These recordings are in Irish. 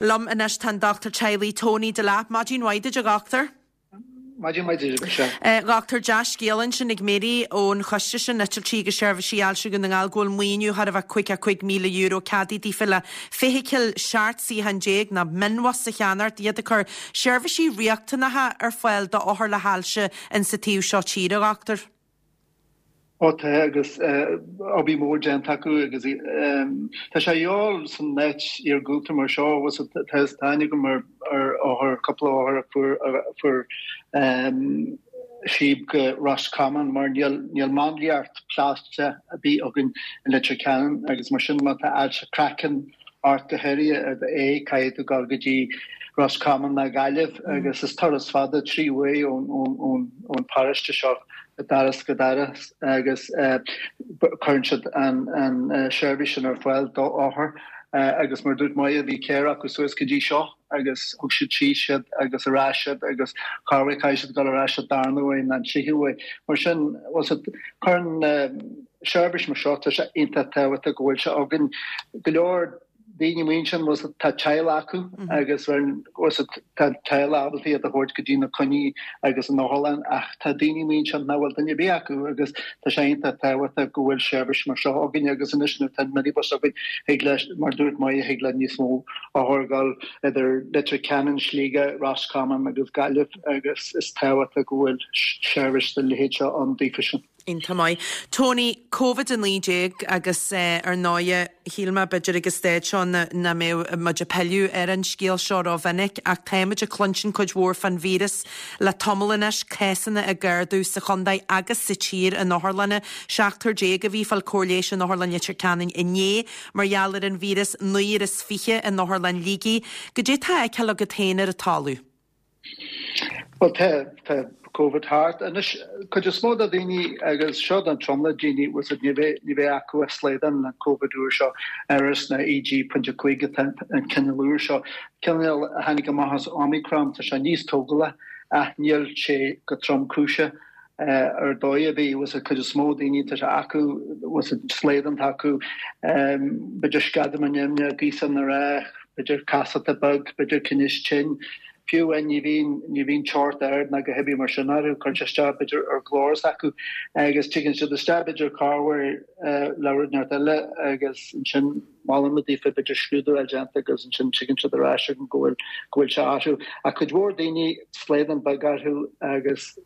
Liom anois tá an Dochtúir Teaghlaigh Tony Delap. Maidin mhaith duit a Dhochtúir. Maidin mhaith duit a Mhichelle. A Dhochtúir, dea-scéala ansin ag Mary ón choiste sin, Eitiltí agus Seirbhísí Ailse Dhún na nGall, go bhfuil maoiniú chóir a bheith €55,000 ceadaithe daofa le feithicil 17 suíochán nó mionbhus a cheannacht, iad ag cur seirbhísí riachtanacha ar fáil d'othair le hailse insa taobh seo tíre, a Dhochtúir. Ó tá agus obair mhór déanta acu agus tá sé a dhíobháil san áit iargúlta mar seo agus tá aithne agam ar othar, cúpla othar a fuair a fuair síob go Ros Comáin mar níl níl máinliacht plaisteach ar bith againn i Leitir Ceanainn agus mar sin má tá ailse craicinn ort go háirithe ar d'aghaidh caithfidh tú dul go dtí Ros Comáin nó Gaillimh agus is turas fada 3 uair ón paróiste seo doras go doras agus cuireann siad an seirbhís sin ar fáil d'othair agus mar dúirt Moya bhí ceithre acu suas go dtí seo agus thug siad síos iad agus ar ais iad agus corruair caithfidh siad dul ar ais an darna huair nó an tríú huair. Mar sin cuireann seirbhís mar seo tá sé iontach tábhachtach go bhfuil sé againn. Go leor daoine amuigh ansin bhfuil tá teaghlach acu agus bhfuil tá teaghlach ábalta iad a thabhairt go dtí na coinní agus an otharlann ach tá daoine amuigh ansin nach bhfuil duine ar bith acu agus tá sé iontach tábhachtach go bhfuil seirbhís mar seo againn agus anois nuair atá an minibus againn thig leis mar dúirt Moya thig le níos mó othar dul idir Leitir Ceanainn, Sligeach, Ros Comáin agus Gaillimh agus is tábhachtach go bhfuil seirbhís den leithéid seo ann daofa sin. Iontach maith. Tony, Covid-19 agus ar ndóighe shíl mé b'fhéidir ag an staid seo nach mbeadh muid ag pilleadh ar an scéal seo rómhinic ach táimid ag cluinstin cuid mhór fán víreas le tamall anois, cásanna ag ardú sa chontae agus sa tír in otharlanna. Seachtar déag a bhí ag fáil cóir leighis in Otharlann Leitir Ceanainn inné mar gheall ar an víreas, naonúr is 20 in Otharlann Shligigh. Goidé tá á fheiceáil agat féin ar an talamh? Bhuel tá, tá Covid thart. Anois, cuid is mó de daoine, agus seo don tromlach daoine, bhfuil 's a'd, ní bheidh, ní bheidh acu ach slaghdán an Covid úr seo, RS nó EG.5 atá an cineál úr seo. Cineál a tháinig amach as Omicron, tá sé níos tógála ach níl sé go tromchúiseach ar dóigh ar bith, bhfuil 's a'd, cuid is mó daoine, tá sé acu, bhfuil 's a'd, slaghdán atá acu, b'fhéidir sceadamán nimhneach, gaosán ar b'fhéidir casacht beag, b'fhéidir tinneas tinn. Fiú amháin ní bhíonn, ní bhíonn teocht ard ná a dhath ar bith mar sin orthu, cuireann sé isteach b'fhéidir ar ghlór s'acu agus tigeann siad isteach b'fhéidir corruair le rud inteacht eile agus ansin molann muid daofa b'fhéidir scrúdú a fháil déanta agus ansin tigeann siad ar ais chugainn go bhfuil, go bhfuil sé orthu. Ach cuid mhór daoine slaghdán beag orthu agus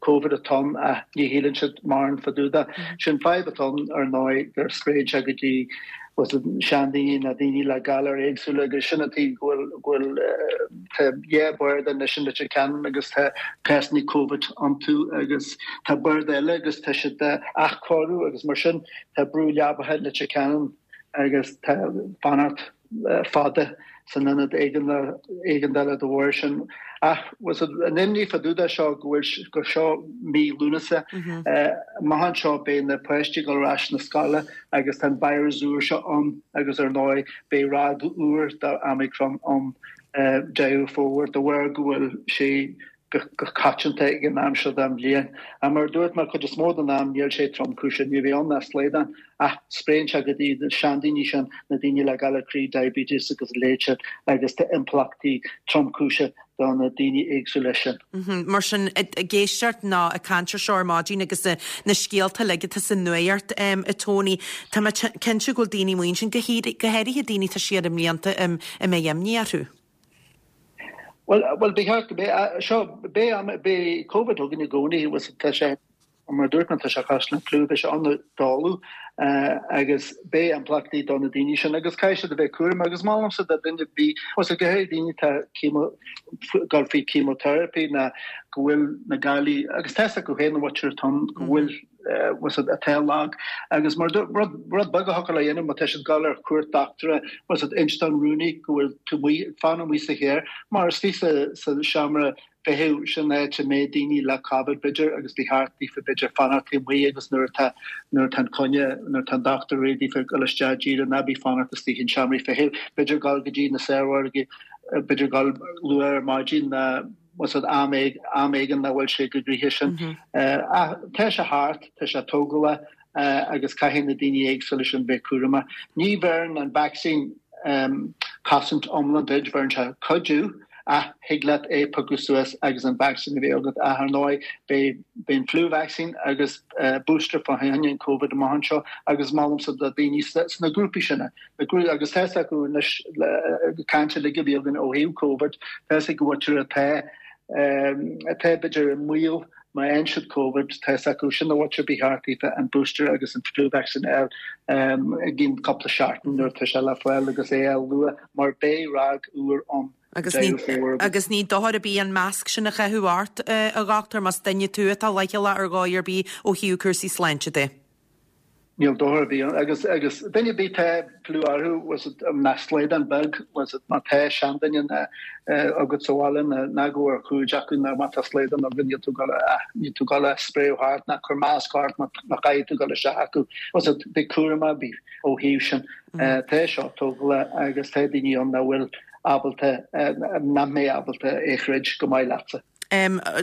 Covid atá ann ach ní shíleann siad mórán fá dtaobh de. Sin fadhb atá ann ar ndóigh gur spréann sé go dtí seandaoine nó daoine le galair éagsúla agus sin an tuige go bhfuil go bhfuil tá dhá barda anois in Leitir Ceanainn agus tá cásanna Covid iontu agus tá barda eile agus tá siad á athchóiriú agus mar sin tá brú leapacha i Leitir Ceanainn agus tá fanacht fada san ionad éigeandála de bharr sin. Ach an imní fá dtaobh de seo go bhfuil gur seo mí Lúnasa. Amach anseo beidh na páistí ag dul ar ais na scoile agus tá an virus úr seo ann agus ar ndóigh beidh ráig úr d'Omicron ann Deireadh Fómhair de bharr go bhfuil sé go coitianta ag an am seo den bhliain. Ach mar a dúirt mé, cuid is mó den am níl sé tromchúiseach, ní bheidh ann ach slaghdán, ach spréann sé go dtí na seandaoine sin, na daoine le galar croí, diabetes agus a leithéid sin, agus tá impleachtaí tromchúiseach do na daoine éagsúla sin. Mar sin, ag éisteacht nó ag caint ar seo ar maidin agus na scéalta uilig atá sa nuacht, a Tony, tá mé cinnte go bhfuil daoine amuigh ansin, go háirithe daoine atá siar i mblianta, a mbeidh imní orthu. Bhuel, bhuel, ba cheart go mbeidh, seo, beidh, beidh Covid againn i gcónaí, tá sé, mar a dúirt mé, tá sé cosúil le fliú, beidh sé ann i dtólamh agus beidh impleachtaí do na daoine sin agus caithfidh siad a bheith cúramach agus molaimse do duine ar bith, go háirithe daoine atá chemo, dul faoi chemotherapy ná go bhfuil na galair, agus tá a fhios acu féin an mhuintir atá ann go bhfuil atá lag agus mar rud rud beag a thiocfadh leo a dhéanamh má tá siad ag dul ar cuairt dochtúra bhfuil 's a'd inis don rúnaí go bhfuil tú amuigh ag fanacht amuigh sa charr mar istigh sa sa seomra feithimh sin áit a mbeidh daoine le Covid b'fhéidir agus ba cheart daofa b'fhéidir fanacht taobh amuigh agus nuair atá nuair atá an coinne nuair atá an dochtúir réidh daofa dul isteach díreach ná bí fanacht istigh in seomraí feithimh b'fhéidir dul go dtí na saormhargaí b'fhéidir dul luath ar maidin ná bhfuil 's a'd am am éigin nach bhfuil sé chomh gnoitheach sin. Ach tá sé thart, tá sé tógálach agus caithfidh na daoine éagsúla sin bheith cúramach. Ní bheireann an vacsaín. cosaint iomlán duit, bheireann sé cuidiú ach thig leat é piocadh suas agus an vacsaín a bheith agat. Ach ar ndóigh beidh beidh an flu vaccine agus booster fá choinne an Covid amach anseo agus molaimse do daoine sna grúpaí sin na grúpaí agus tá fhios acu anois le caint uilig a bhí againn ó thaobh Covid tá fhios ag an mhuintir atá atá b'fhéidir i mbaol má fhaigheann siad Covid tá fhios acu sin an mhuintir ba cheart daofa an booster agus an flu vaccine a fháil i gcionn cúpla seachtain nuair atá sé le fáil agus é a fháil luath mar beidh ráig úr ann. Agus ní, agus ní dochar ar bith an masc sin a chaitheamh ort, a dhochtúir, más duine tú atá leithchealach ar dhóigh ar bith ó thaobh cúrsaí sláinte de. Níl dochar ar bith ann. Agus, agus duine ar bith tá fliú orthu, bhfuil fhios a'd, ná slaghdán beag, bhfuil fhios a'd, má tá seanduine ná, agat sa bhaile ná, ná gabh ar cuairt acu ná má tá slaghdán agat níl tú ag dul a, níl tú ag dul a spréadh thart ná cur masc ort má, má chaithfidh tú dul isteach acu. Bhfuil fhios a'd, bí cúramach, bí ó thaobh sin. Tá seo tógála agus tá daoine ann nach bhfuil ábalta, nach mbeidh ábalta é throid go maith leatsa.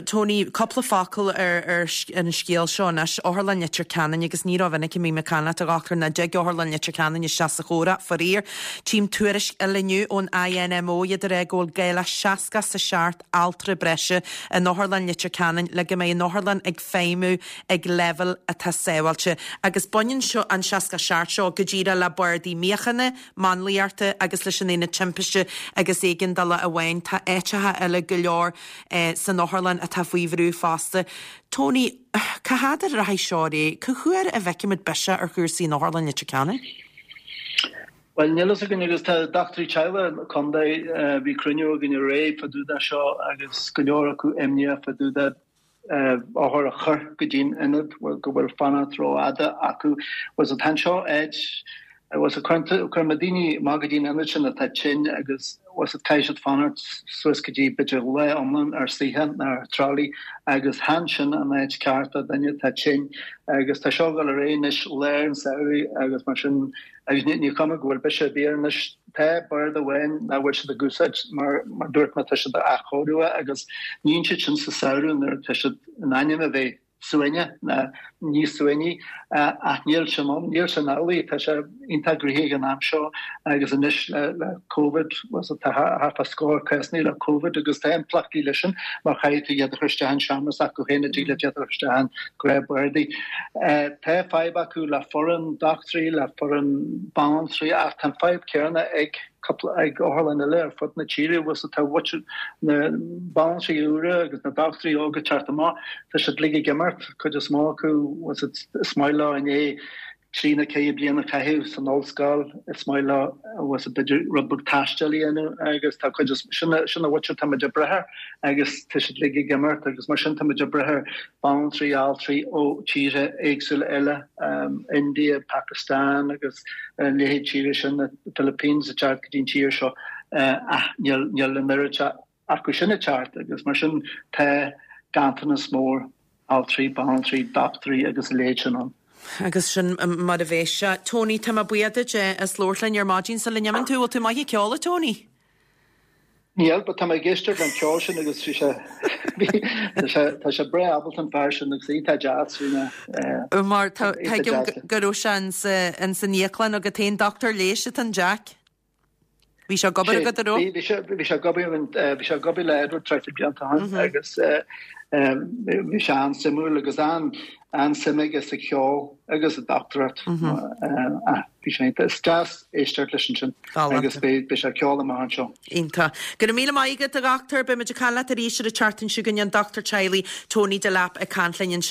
Tony, cúpla focal ar ar an scéal seo anois. Otharlann Leitir Ceanainn agus ní rómhinic a mbím ag caint leat a dhochtúir nach dtig Otharlann Leitir Ceanainn isteach sa chomhrá, faraor. Tchím tuairisc eile inniu ón INMO, iad ag rá go bhfuil gá le 67 altra breise in Otharlann Leitir Ceanainn le go mbeidh an otharlann ag feidhmiú ag leibhéal atá sábháilte. Agus baineann seo, an 67 seo, go díreach le bardaí míochaine, máinliachta agus leis an aonad timpiste agus éigeandála amháin. Tá áiteacha eile go leor san otharlann atá faoi bhrú fosta. Tony, cá fhad a rachaidh seo ar aghaidh? Cá huair a bhfeicfimid biseach ar chúrsaí in Otharlann Leitir Ceanainn? Bhuel, níl fhios againn agus tá dochtúirí teaghlaigh an chontae, bhí cruinniú againn aréir fá dtaobh de seo agus go leor acu imníoch fá dtaobh de othair a chur go dtí'n ionad go bhfuil fanacht rófhada acu. Bhfuil fhios a'd, tá anseo áit, bhfuil fhios a'd, cuireann muid daoine amach go dtí'n ionad sin atá tinn agus bhfuil fhios a'd, caithfidh siad fanacht suas go dtí b'fhéidir lá iomlán ar suitheán nó ar trolley agus chan sin an áit ceart do dhuine atá tinn agus tá seo ag dul ar aghaidh anois lár an samhraidh agus mar sin Agus ní cuma go bhfuil biseach ar bith air anois. Tá bord amháin nach bhfuil siad ag úsáid mar mar dúirt mé tá siad á athchóiriú agus níonn siad sin sa samhradh nuair atá siad in ainm a bheith suaimhneach ná níos suaimhní ach níl sin ann, níl sin amhlaidh. Tá sé iontach gnoitheach ag an am seo agus anois le le Covid bhfuil fhios a'd tá thart fá scór cásanna le Covid agus tá impleachtaí leis sin mar chaithfidh tú iad a chur isteach in seomra s'acu féin a dtig leat iad a chur isteach in gnáthbhardaí. Tá fadhb acu le foireann dochtúirí, le foireann banaltraí ach tá an fadhb céanna ag cúpla, ag otharlann eile ar fud na tíre. Bhfuil fhios a'd, tá mhuintir na banaltraí úra agus na dochtúirí óga ag teacht amach, tá siad uilig ag imeacht, cuid is mó acu, bhfuil fhios a'd, is maith leo i ndiaidh trí nó ceithre bliana a chaitheamh san ollscoil, is maith leo, bhfuil fhios a'd, b'fhéidir rud beag taistil a dhéanamh agus tá cuid is, sin sin an mhuintir tá muid ag brath air agus tá siad uilig ag imeacht agus mar sin tá muid ag brath ar banaltraí, altraí ó tíortha éagsúla eile, India, Pakistan agus a leithéid tíre sin, na Philippines ag teacht go dtí an tír seo ach níl níl an oiread acu sin ag teacht agus mar sin tá ganntanas mór altraí, banaltraí, dochtúirí agus a leithéid sin ann. Agus sin mar a bheas sé. Tony, tá mé buíoch duit as labhairt linn ar maidin sula n-imíonn tú. Bhfuil tú maith ag ceol, a Tony? Níl, but tá mé ag éisteacht leis an ceol sin agus bhí sé, bhí, tá sé, tá sé breá ábalta an fear sin agus iontach deas, bhí mé, eh, Mar tá, iontach tuigim deas. go raibh sé ins, ins an íoclann agat féin, dochtúir leighis atá in Jack. Bhí sé ag obair agat, an raibh? Bhí, bhí sé, bhí sé ag obair, bhí sé ag obair le Edward traidhfil blianta ó shin agus, eh, eh, bhí sé an-suimiúil agus an, an-suim aige sa cheol agus sa dochtúireacht. Eh, Bhí sé iontach. Is deas éisteacht leis ansin agus beidh sé ag ceol amach anseo. Iontach. Go raibh míle maith agat, a dhochtúir. Beidh muid ag caint leat arís ar an tseachtain seo chugainn, an dochtúir teaghlaigh Tony Delap ag caint linn ansin.